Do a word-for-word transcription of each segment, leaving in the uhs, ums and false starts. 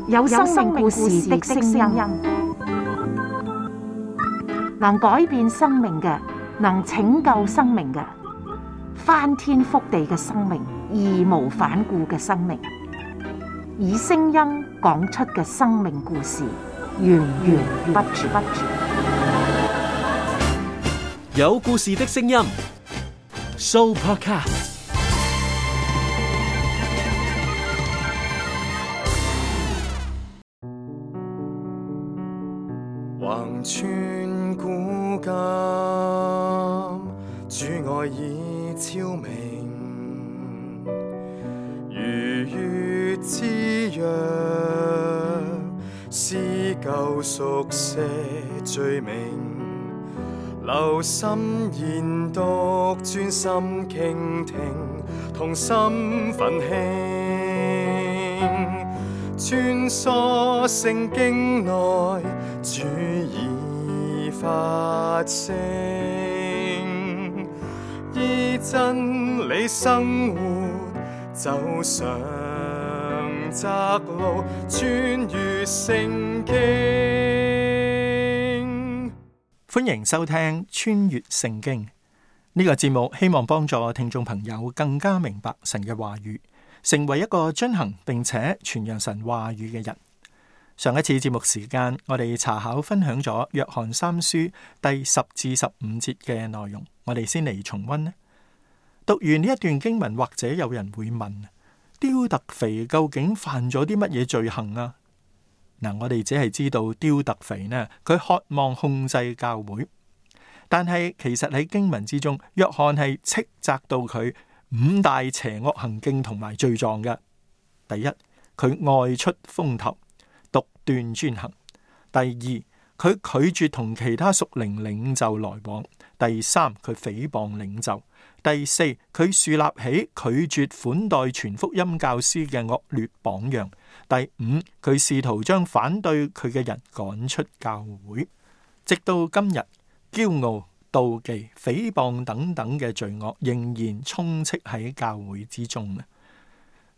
有生命故事的聲音，能改變生命嘅，能拯救生命嘅，翻天覆地嘅生命，義無反顧嘅生命，以聲音講出嘅生命故事，源源不絕。有故事的聲音 ，Sooopodcast。橫穿古今，主愛已超明，如月之約，撕舊熟寫罪名，留心研讀，專心傾聽，同心奮興，穿梭聖經內，主已發聲，依真理生活，走上窄路，穿越聖經。歡迎收聽《穿越聖經》呢個節目，希望幫助聽眾朋友更加明白神嘅話語，成為一個遵行並且傳揚神話語嘅人。上一次節目時間，我哋查考分享咗約翰三書第十至十五節嘅內容，我哋先嚟重溫呢。讀完呢一段經文，或者有人會問：丟特腓究竟犯咗啲乜嘢罪行啊？嗱，我哋只係知道丟特腓呢，佢渴望控制教會，但係其實喺經文之中，約翰係斥責到佢五大邪惡行徑同埋罪狀嘅。第一，佢外出風頭，獨斷專行；第二，佢拒絕同其他屬靈領袖來往；第三，佢誹謗領袖；第四，佢樹立起拒絕款待傳福音教師嘅惡劣榜樣；第五，佢試圖將反對佢嘅人趕出教會。直到今日，驕傲、妒忌、誹謗等等嘅罪惡仍然充斥喺教會之中啊！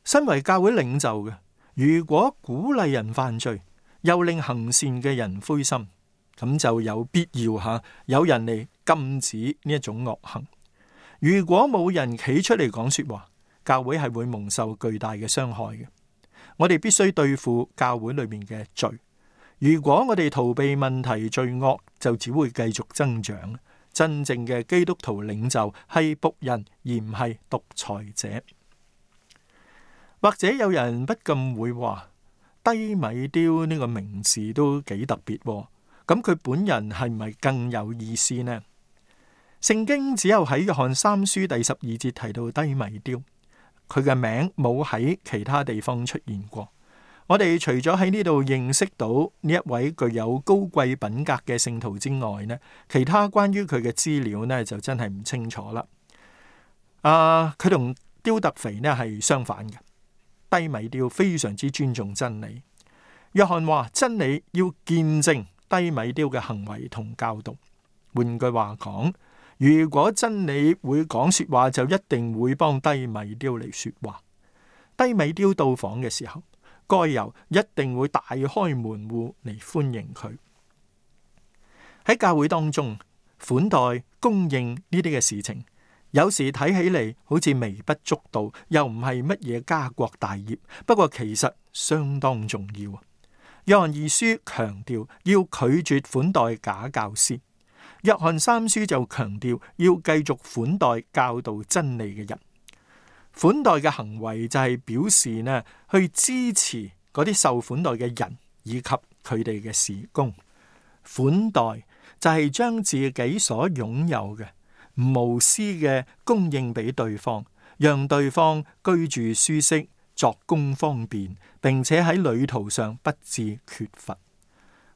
身為教會領袖嘅，如果鼓勵人犯罪，又令行善嘅人灰心，咁就有必要吓有人嚟禁止呢一種惡行。如果冇人企出嚟講說話，教會係會蒙受巨大嘅傷害嘅。我哋必須對付教會裏面嘅罪。如果我哋逃避問題，罪惡就只會繼續增長。真正嘅基督徒領袖係僕人，而唔係獨裁者。或者有人不禁會話：低米丟呢個名字都幾特別喎，咁佢本人係唔係更有意思呢？聖經只有喺約翰三書第十二節提到低米丟，佢嘅名冇喺其他地方出現過。我哋除咗喺呢度認識到呢一位具有高貴品格嘅聖徒之外呢，其他關於佢嘅資料呢就真係唔清楚啦。啊，佢同丟特腓呢係相反嘅。低米丟非常之尊重真理。約翰話真理要見證低米丟嘅行為同教導。換句話講，如果真理會講說話，就一定會幫低米丟嚟說話。低米丟到訪嘅時候，該猶一定會大開門戶嚟歡迎佢。喺教會當中，款待、供應呢啲嘅事情，有時睇起嚟好似微不足道，又唔係乜嘢家國大業，不過其實相當重要。約翰二書強調要拒絕款待假教師，約翰三書就強調要繼續款待教導真理嘅人。款待嘅行為就係表示呢，去支持嗰啲受款待嘅人以及佢哋嘅事工。款待就係將自己所擁有嘅無私嘅供應俾對方，讓對方居住舒適、作工方便，並且喺旅途上不致缺乏。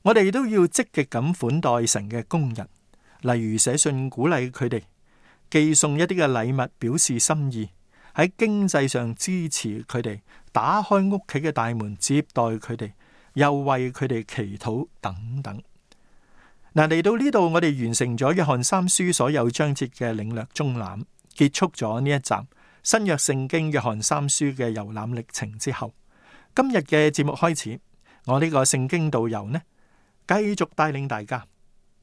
我哋都要積極咁款待神嘅工人，例如寫信鼓勵佢哋，寄送一啲嘅禮物表示心意，喺經濟上支持佢哋，打開屋企嘅大門接待佢哋，又為佢哋祈禱等等。嗱，嚟到呢度，我哋完成咗約翰三書所有章節嘅領略綜覽，結束咗呢一集新約聖經約翰三書嘅遊覽歷程之後，今日嘅節目開始，我呢個聖經導遊呢，繼續帶領大家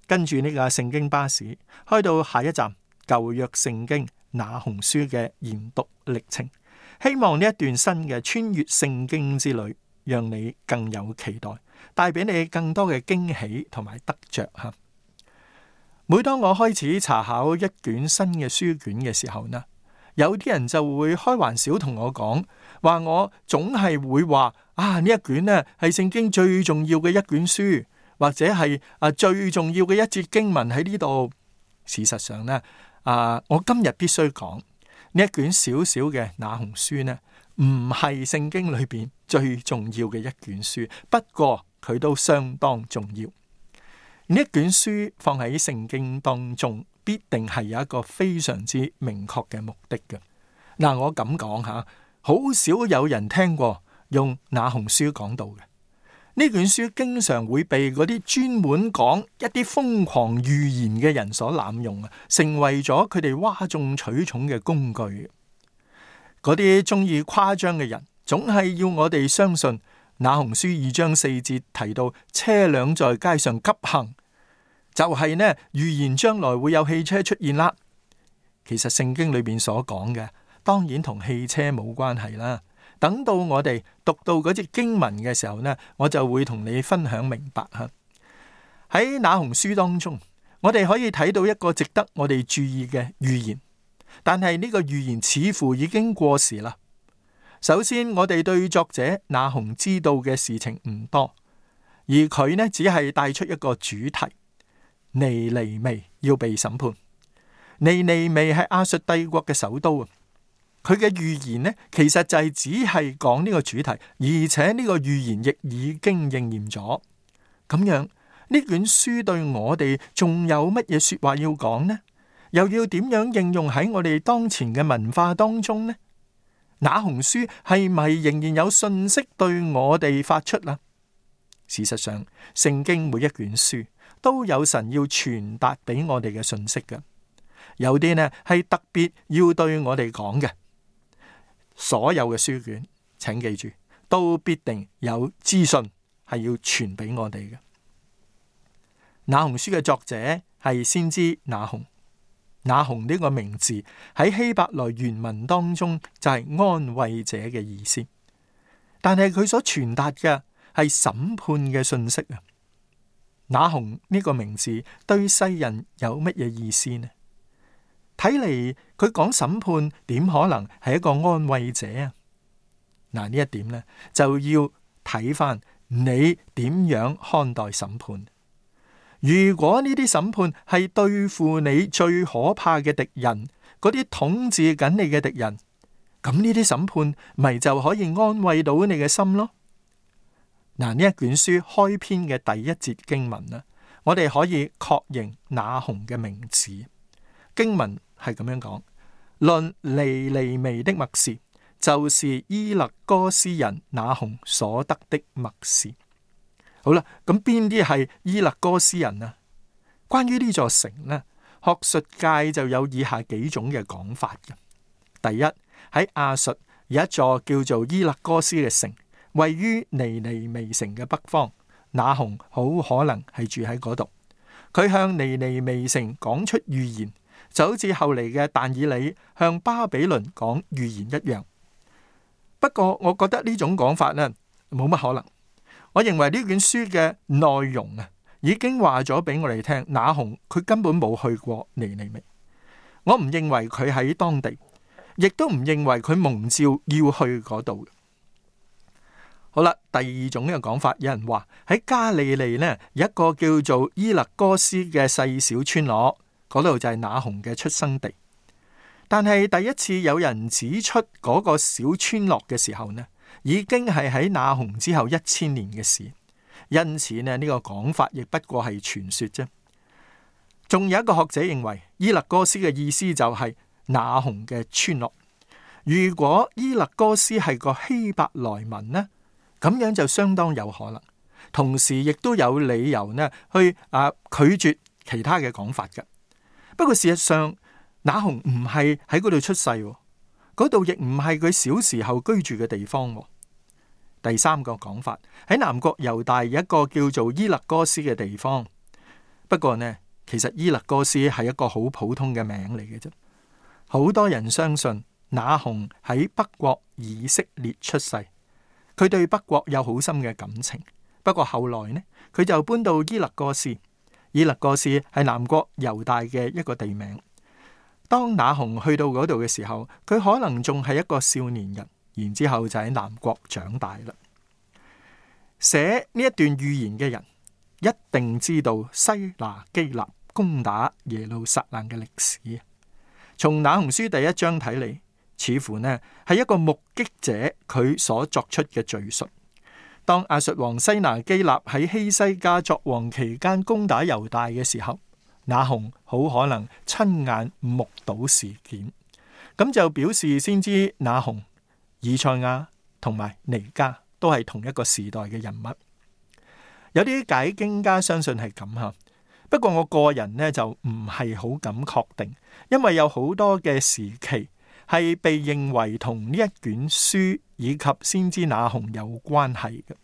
跟住呢個聖經巴士開到下一站舊約聖經那鴻書嘅研讀歷程。希望呢一段新嘅穿越聖經之旅，讓你更有期待，帶俾你更多嘅驚喜同埋得着吓。每當我開始查考一卷新嘅書卷嘅時候呢，有啲人就會開玩笑同我講，話我總係會話啊，呢一卷呢係聖經最重要嘅一卷書，或者係啊最重要嘅一節經文喺呢度。事實上呢，啊我今日必須講呢一卷小小嘅那鴻書呢，唔係聖經裏邊最重要嘅一卷書，不過佢都相當重要。呢一卷書放喺聖經當中，必定係有一個非常之明確嘅目的嘅。嗱，我咁講吓，好少有人聽過用那鴻書講道嘅。呢卷書經常會被嗰啲專門講一啲瘋狂預言嘅人所濫用啊，成為咗佢哋嘩眾取寵嘅工具。嗰啲中意誇張嘅人，總係要我哋相信那鴻書二章四節提到車輛在街上急行，就係呢預言將來會有汽車出現啦。其實聖經裏邊所講嘅，當然同汽車冇關係啦。等到我哋讀到嗰節經文嘅時候呢，我就會同你分享明白吓。喺那鴻書當中，我哋可以睇到一個值得我哋注意嘅預言，但係呢個預言似乎已經過時啦。首先，我哋對作者那鴻知道嘅事情唔多，而佢呢只係帶出一個主題：尼尼微要被審判。尼尼微係亞述帝國嘅首都啊。佢嘅預言呢，其實就係只係講呢個主題，而且呢個預言亦已經應驗咗。咁樣呢卷書對我哋仲有乜嘢說話要講呢？又要點樣應用喺我哋當前嘅文化當中呢？那鴻書係咪仍然有信息對我哋發出啊？事實上，聖經每一卷書都有神要傳達俾我哋嘅信息嘅，有啲呢係特別要對我哋講嘅。所有嘅書卷，請記住，都必定有資訊係要傳俾我哋嘅。那鴻書嘅作者係先知那鴻，那鴻呢個名字喺希伯來原文當中就係安慰者嘅意思，但係佢所傳達嘅係審判嘅信息啊。那鴻呢個名字對世人有乜嘢意思呢？睇嚟佢講審判點可能係一個安慰者啊？嗱，呢一點呢就要睇翻你點樣看待審判。如果呢啲審判係對付你最可怕嘅敵人，嗰啲統治緊你嘅敵人，咁呢啲審判咪就可以安慰到你嘅心咯？嗱，呢一卷書開篇嘅第一節經文啦，我哋可以確認那鴻嘅名字。經文係咁樣講：論尼尼微的默示，就是伊勒哥斯人那鴻所得的默示。好啦，咁邊啲係伊勒哥斯人啊？關於呢座城呢，學術界就有以下幾種嘅講法嘅。第一，喺亞述有一座叫做伊勒哥斯嘅城，位於尼尼微城嘅北方，那鴻好可能係住喺嗰度。佢向尼尼微城講出預言，就好似後嚟嘅但以理向巴比倫講預言一樣。不過我覺得呢種講法呢，冇乜可能。我認為呢卷書嘅內容啊，已經話咗俾我哋聽，那鴻佢根本冇去過尼尼微。我唔認為佢喺當地，亦都唔認為佢蒙召要去嗰度。好啦，第二種嘅講法，有人話喺加利利呢，有一個叫做伊勒哥斯嘅細小村落，嗰度就係那鴻嘅出生地。但係第一次有人指出嗰個小村落嘅時候呢，已經係喺那鴻之後一千年嘅事，因此呢，呢個講法亦不過係傳說啫。仲有一個學者認為伊勒哥斯嘅意思就係那鴻嘅村落。如果伊勒哥斯係個希伯來文呢，咁樣就相當有可能，同時亦都有理由呢去啊拒絕其他嘅講法嘅。不過事實上，那鴻唔係喺嗰度出世，嗰度亦唔係佢小時候居住嘅地方。第三個講法，喺南國猶大有一個叫做伊勒哥斯嘅地方。不過呢，其實伊勒哥斯係一個好普通嘅名嚟嘅啫。好多人相信那鴻喺北國以色列出世，佢對北國有好深嘅感情。不過後來呢，佢就搬到伊勒哥斯。伊勒哥斯係南國猶大嘅一個地名。當那鴻去到嗰度嘅時候，佢可能仲係一個少年人，然之後就喺南國長大啦。寫呢一段預言嘅人一定知道西拿基立攻打耶路撒冷嘅歷史。從那鴻書第一章睇嚟，似乎呢係一個目擊者佢所作出嘅敘述。當亞述王西拿基立喺希西家作王期間攻打猶大嘅時候，那鴻好可能親眼目睹事件，咁就表示先知那鴻、以賽亞同埋彌迦都係同一個時代嘅人物。有啲解經家相信係咁吓，不過我個人呢就唔係好敢確定，因為有好多嘅時期係被認為同呢一卷書以及先知那鴻有關係嘅。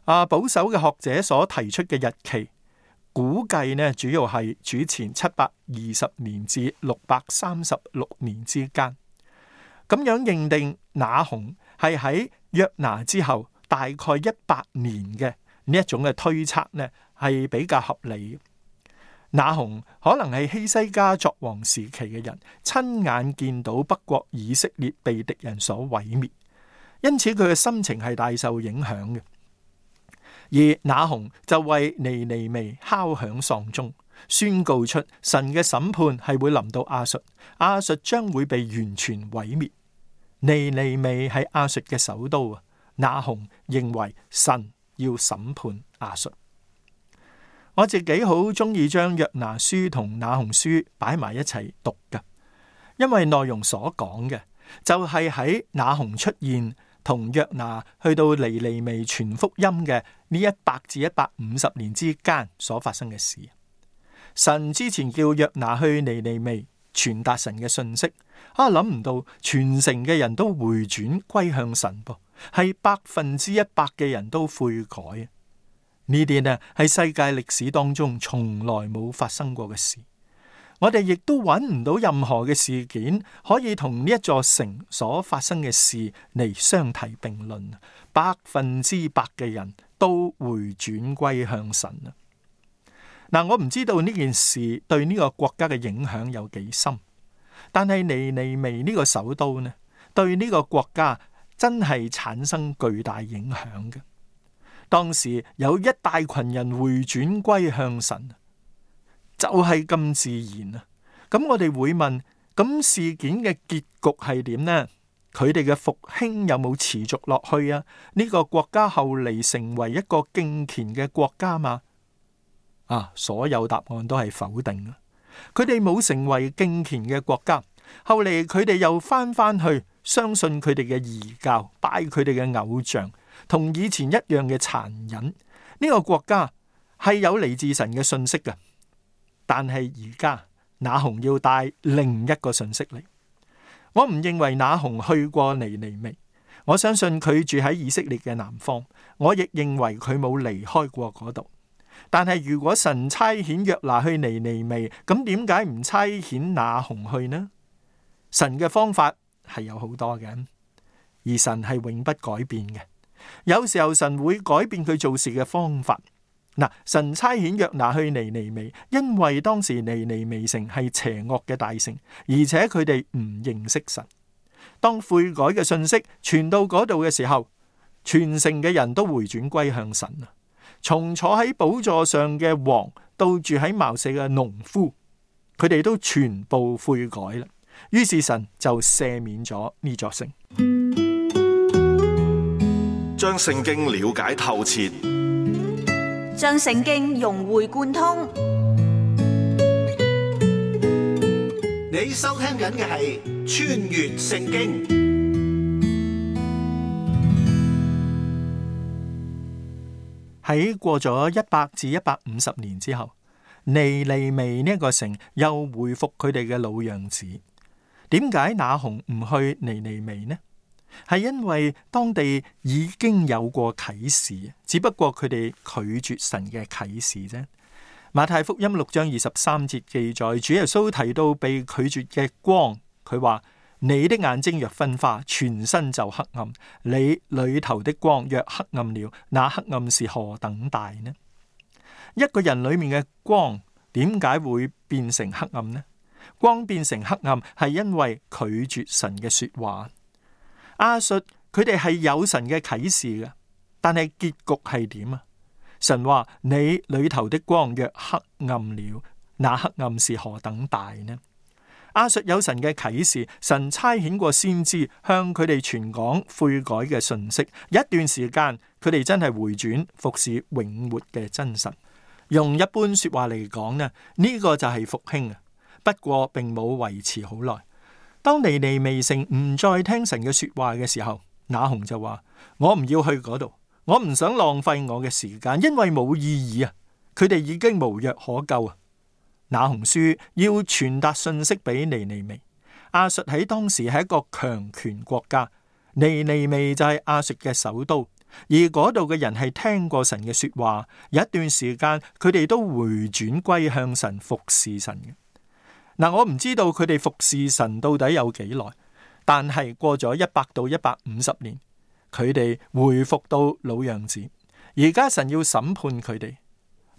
啊，保守嘅學者所提出嘅日期，估計呢主要係主前七百二十年至六百三十六年之間。咁樣認定那鴻係喺約拿之後大概一百年嘅呢一種嘅推測呢，係比較合理。那鴻可能係希西家作王時期嘅人，親眼見到北國以色列被敵人所毀滅，因此佢嘅心情係大受影響嘅。而那鴻就為尼尼微敲響喪鐘，宣告出神嘅審判係會臨到亞述，亞述將會被完全毀滅。尼尼微係亞述嘅首都啊，那鴻認為神要審判亞述。我自己好中意將約拿書同那鴻書擺埋一齊讀噶，因為內容所講嘅就係喺那鴻出現同約拿去到尼尼微傳福音嘅呢一百至一百五十年之間所發生嘅事。神之前叫約拿去尼尼微傳達神嘅信息，啊諗唔到全城嘅人都回轉歸向神噃，係百分之一百嘅人都悔改。呢啲呢係世界歷史當中從來冇發生過嘅事。我哋亦都揾唔到任何嘅事件可以同呢一座城所發生嘅事嚟相提並論。百分之百嘅人都回轉歸向神啊！嗱，我唔知道呢件事對呢個國家嘅影響有幾深，但係尼尼微呢個首都呢，對呢個國家真係產生巨大影響嘅。當時有一大群人回轉歸向神。就係咁自然啊！咁我哋會問，咁事件嘅結局係點呢？佢哋嘅復興有冇持續落去啊？呢個國家後嚟成為一個敬虔嘅國家嘛？啊，所有答案都係否定啊！佢哋冇成為敬虔嘅國家，後嚟佢哋又翻翻去相信佢哋嘅異教，拜佢哋嘅偶像，同以前一樣嘅殘忍。呢個國家係有嚟自神嘅信息嘅。但係而家那鴻要帶另一個信息嚟。我唔認為那鴻去過尼尼微，我相信佢住喺以色列嘅南方。我亦認為佢冇離開過嗰度。但係如果神差遣約拿去尼尼微，咁點解唔差遣那鴻去呢？神嘅方法係有好多嘅，而神係永不改變嘅。有時候神會改變佢做事嘅方法。嗱，神差遣約拿去尼尼微，因為當時尼尼微城係邪惡嘅大城，而且佢哋唔認識神。當悔改嘅信息傳到嗰度嘅時候，全城嘅人都回轉歸向神啊！從坐喺寶座上嘅王到住喺茅舍嘅農夫，佢哋都全部悔改啦。於是神就赦免咗呢座城，將聖經了解透徹，將聖經融會貫通。你收聽緊嘅係穿越聖經。喺過咗一百至一百五十年之後，尼尼微呢一個城又恢復佢哋嘅老樣子。點解那鴻唔去尼尼微呢？係因為當地已經有過啟示，只不過佢哋拒絕神嘅啟示啫。馬太福音六章二十三節記載，主耶穌提到被拒絕嘅光，佢話：你的眼睛若昏花，全身就黑暗；你裏頭的光若黑暗了，那黑暗是何等大呢？一個人裏面嘅光點解會變成黑暗呢？光變成黑暗係因為拒絕神嘅說話。亞述佢哋係有神嘅啟示嘅，但係結局係點啊？神話：你裏頭的光若黑暗了，那黑暗是何等大呢？亞述有神嘅啟示，神差遣過先知向佢哋傳講悔改嘅信息，一段時間佢哋真係回轉服侍永活嘅真神。用一般說話嚟講呢，呢、這個就係復興啊！不過並冇維持好耐。當尼尼微城唔再聽神嘅說話嘅時候，那鴻就話：我唔要去嗰度，我唔想浪費我嘅時間，因為冇意義啊！佢哋已經無藥可救啊！那鴻書要傳達信息俾尼尼微。亞述喺當時係一個強權國家，尼尼微就係亞述嘅首都，而嗰度嘅人係聽過神嘅說話，有一段時間佢哋都回轉歸向神，服侍神嘅。嗱，我唔知道佢哋服侍神到底有幾耐，但係過咗一百到一百五十年，佢哋回復到老樣子。而家神要審判佢哋，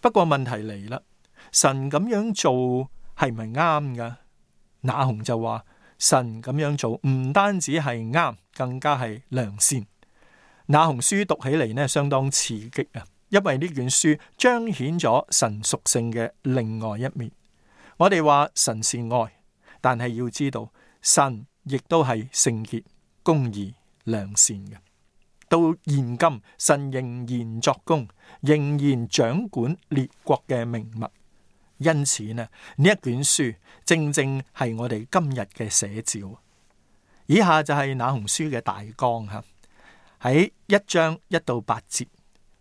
不過問題嚟啦，神咁樣做係咪啱噶？那鴻就話神咁樣做唔單止係啱，更加係良善。那鴻書讀起嚟呢，相當刺激啊，因為呢卷書彰顯咗神屬性嘅另外一面。我哋話神是愛，但係要知道神亦都係聖潔、公義、良善嘅。到現今，神仍然作工，仍然掌管列國嘅命脈。因此呢，呢一卷書正正係我哋今日嘅寫照。以下就係那鴻書嘅大綱吓，喺一章一到八節，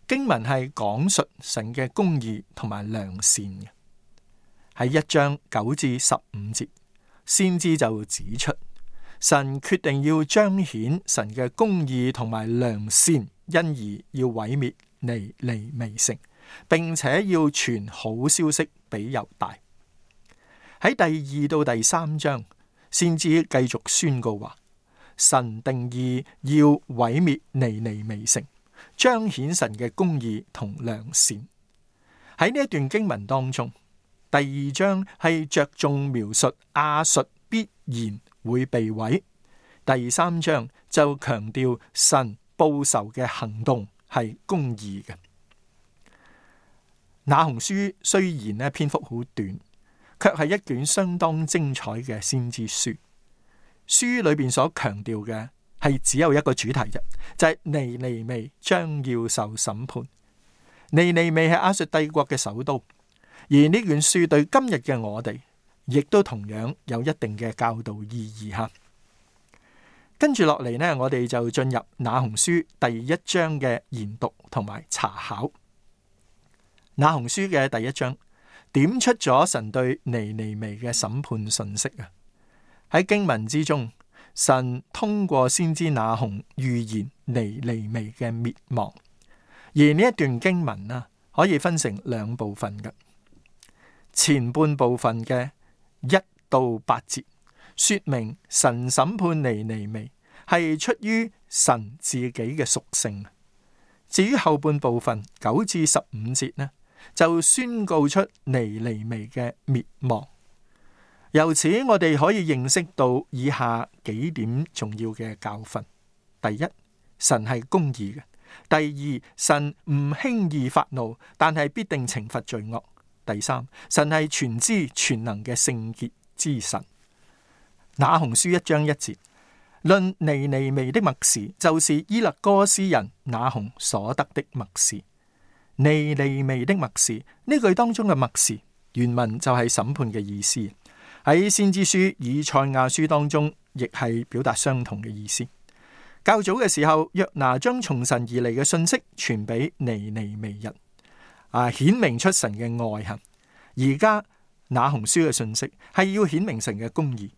經文係講述神嘅公義同埋良善嘅。喺一章九至十五節，先知就指出神決定要彰顯神嘅公義同埋良善，因而要毀滅尼尼微城，並且要傳好消息俾猶大。喺第二到第三章，先知繼續宣告話，神定義要毀滅尼尼微城，彰顯神嘅公義同良善。喺呢一段經文當中，第二章係着重描述亞述必然會被毀，第三章就強調神報仇嘅行動係公義嘅。那鴻書雖然呢篇幅好短，卻係一卷相當精彩嘅先知書。書裏邊所強調嘅係只有一個主題啫，就係、是、尼尼微將要受審判。尼尼微係亞述帝國嘅首都。而呢卷書對今日嘅我哋，亦都同樣有一定嘅教導意義哈。跟住落嚟呢，我哋就進入那鴻書第一章嘅研讀同埋查考。那鴻書嘅第一章點出咗神對尼尼微嘅審判信息啊。喺經文之中，神通過先知那鴻預言尼尼微嘅滅亡。而呢一段經文啊，可以分成兩部分嘅。前半部分嘅一到八節，說明神審判尼尼微係出於神自己嘅屬性。至於後半部分九至十五節呢，就宣告出尼尼微嘅滅亡。由此我哋可以認識到以下幾點重要嘅教訓：第一，神係公義嘅；第二，神唔輕易發怒，但係必定懲罰罪惡。第三，神係全知全能嘅聖潔之神。那鴻書一章一節，論尼尼微的默示，就是伊勒哥斯人那鴻所得的默示。尼尼微的默示，呢句當中嘅默示原文就係審判嘅意思。喺先知書以賽亞書當中，亦係表達相同嘅意思。較早嘅時候，約拿將從神而嚟嘅信息傳俾尼尼微人。啊！顯明出神嘅愛行，而家那鴻書嘅信息係要顯明神嘅公義。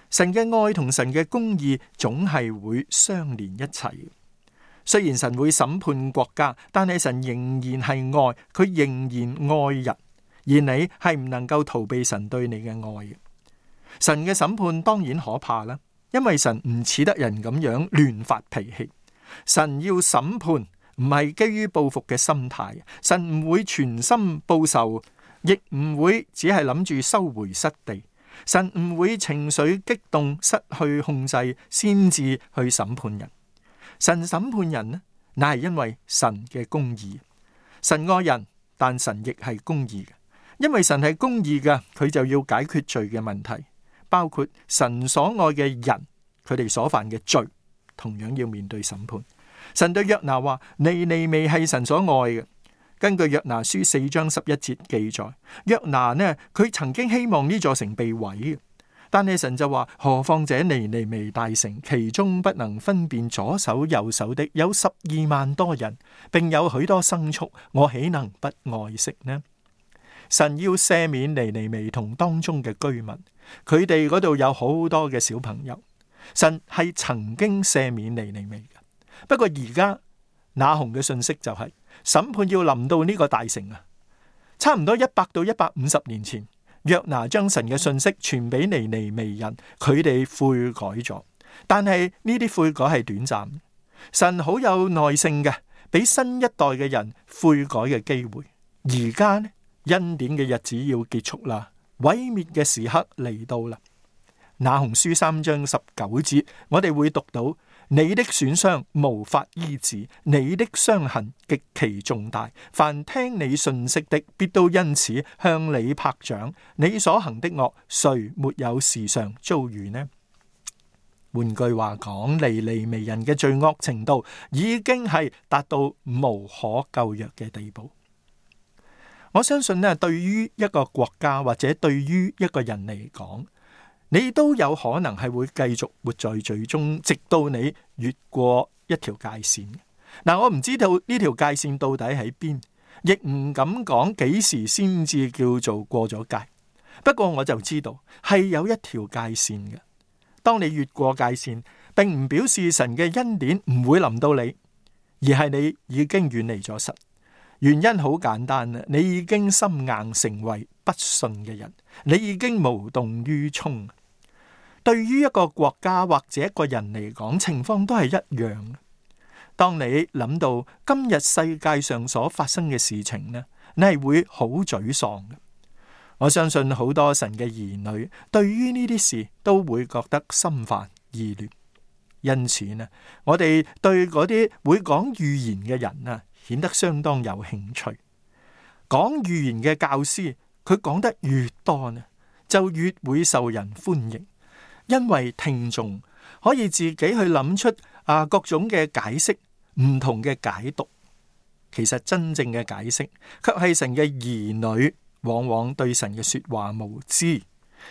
神嘅愛同神嘅公義總係會相連一齊。雖然神會審判國家，但係神仍然係愛，佢仍然愛人，而你係唔能夠逃避神對你嘅愛嘅。神嘅審判當然可怕啦，因為神唔似得人咁樣亂發脾氣。神要審判唔係基於報復嘅心態，神唔會全心報仇，亦唔會只係諗住收回失地。神唔會情緒激動失去控制先至去審判人。神審判人呢，乃係因為神嘅公義。神愛人，但神亦係公義嘅。因為神係公義嘅，佢就要解決罪嘅問題，包括神所愛嘅人，佢哋所犯嘅罪，同樣要面對審判。神對約拿話：尼尼微係神所愛嘅。根據約拿書四章十一節記載，約拿呢，佢曾經希望呢座城被毀，但係神就話：何況這尼尼微大城，其中不能分辨左手右手的有十二萬多人，並有許多牲畜，我豈能不愛惜呢？神要赦免尼尼微同當中嘅居民，佢哋嗰度有好多嘅小朋友。神係曾經赦免尼尼微嘅，不過而家那鴻嘅信息就係、是、審判要臨到呢個大城啊！差唔多一百到一百五十年前，約拿將神嘅信息傳俾尼尼微人，佢哋悔改咗，但係呢啲悔改係短暫。神好有耐性嘅，俾新一代嘅人悔改嘅機會。而家呢，恩典嘅日子要結束啦，毀滅嘅時刻嚟到啦。那鴻書三章十九節，我哋會讀到：你的損傷無法醫治，你的傷痕極其重大。凡聽你信息的，必都因此向你拍掌。你所行的惡，誰沒有時常遭遇呢？換句話講，尼尼微人嘅罪惡程度已經係達到無可救藥嘅地步。我相信呢，對於一個國家或者對於一個人嚟講，你都有可能係會繼續活在罪中，直到你越過一條界線。嗱，我唔知道呢條界線到底喺邊，亦唔敢講幾時先至叫做過咗界。不過我就知道係有一條界線嘅。當你越過界線，並唔表示神嘅恩典唔會臨到你，而係你已經遠離咗神。原因好簡單啦，你已經心硬成為不信嘅人，你已經無動於衷。對於一個國家或者一個人嚟講，情況都係一樣。當你諗到今日世界上所發生嘅事情呢，你係會好沮喪嘅。我相信好多神嘅兒女對於呢啲事都會覺得心煩意亂。因此呢，我哋對嗰啲會講預言嘅人啊，顯得相當有興趣。講預言嘅教師，佢講得越多呢，就越會受人歡迎，因為聽眾可以自己去諗出啊各種嘅解釋、唔同嘅解讀。其實真正嘅解釋，卻係神嘅兒女往往對神嘅說話無知，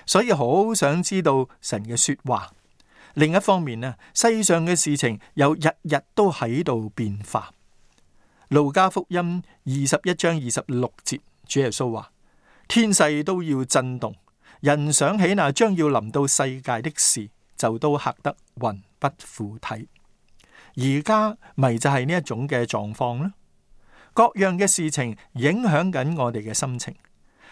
所以好想知道神嘅說話。另一方面呢，世上嘅事情又日日都喺度變化。路加福音二十一章二十六節，主耶穌話：天勢都要震動，人想起那將要臨到世界的事，就都嚇得魂不附體。而家咪就係呢一種嘅狀況啦。各樣嘅事情影響緊我哋嘅心情，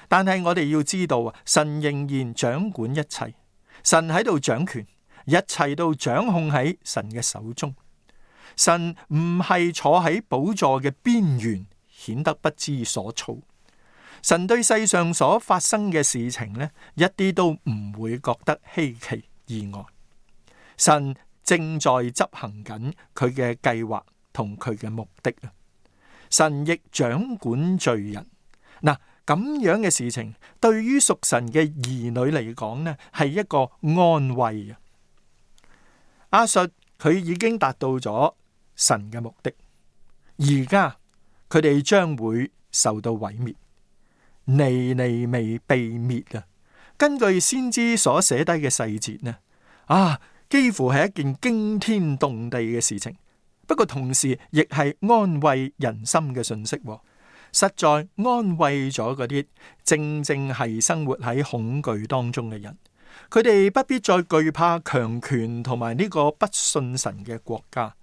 但係我哋要知道啊，神仍然掌管一切，神喺度掌權，一切都掌控喺神嘅手中。神唔係坐喺寶座嘅邊緣，顯得不知所措。神對世上所發生嘅事情呢，一啲都唔會覺得稀奇意外。神正在執行緊佢嘅計劃同佢嘅目的啊！神亦掌管罪人。嗱，咁樣嘅事情對於屬神嘅兒女嚟講呢，係一個安慰啊！亞述佢已經達到咗神嘅目的，而家佢哋將會受到毀滅。尼尼微被滅啊！根據先知所寫低嘅細節呢，啊，幾乎係一件驚天動地嘅事情。不過同時亦係安慰人心嘅信息，實在安慰咗嗰啲正正係生活喺恐懼當中嘅人。佢哋不必再懼怕強權同埋呢個不信神嘅國家。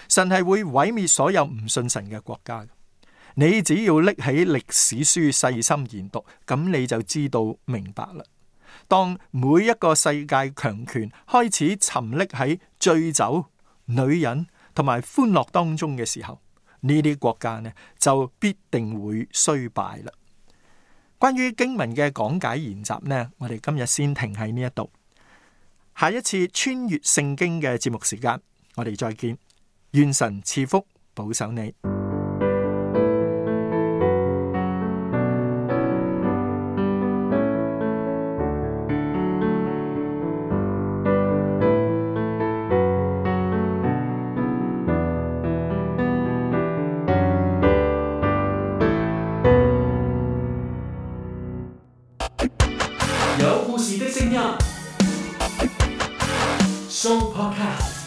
神係會毀滅所有唔信神嘅國家。你只要拎起歷史書細心研讀，咁你就知道明白啦。當每一個世界強權開始沉溺喺醉酒、女人同埋歡樂當中嘅時候，呢啲國家呢就必定會衰敗啦。關於經文嘅講解研習呢，我哋今日先停喺呢一度。下一次穿越聖經嘅節目時間，我哋再見。願神賜福保守你。有故事的聲音，Show Podcast。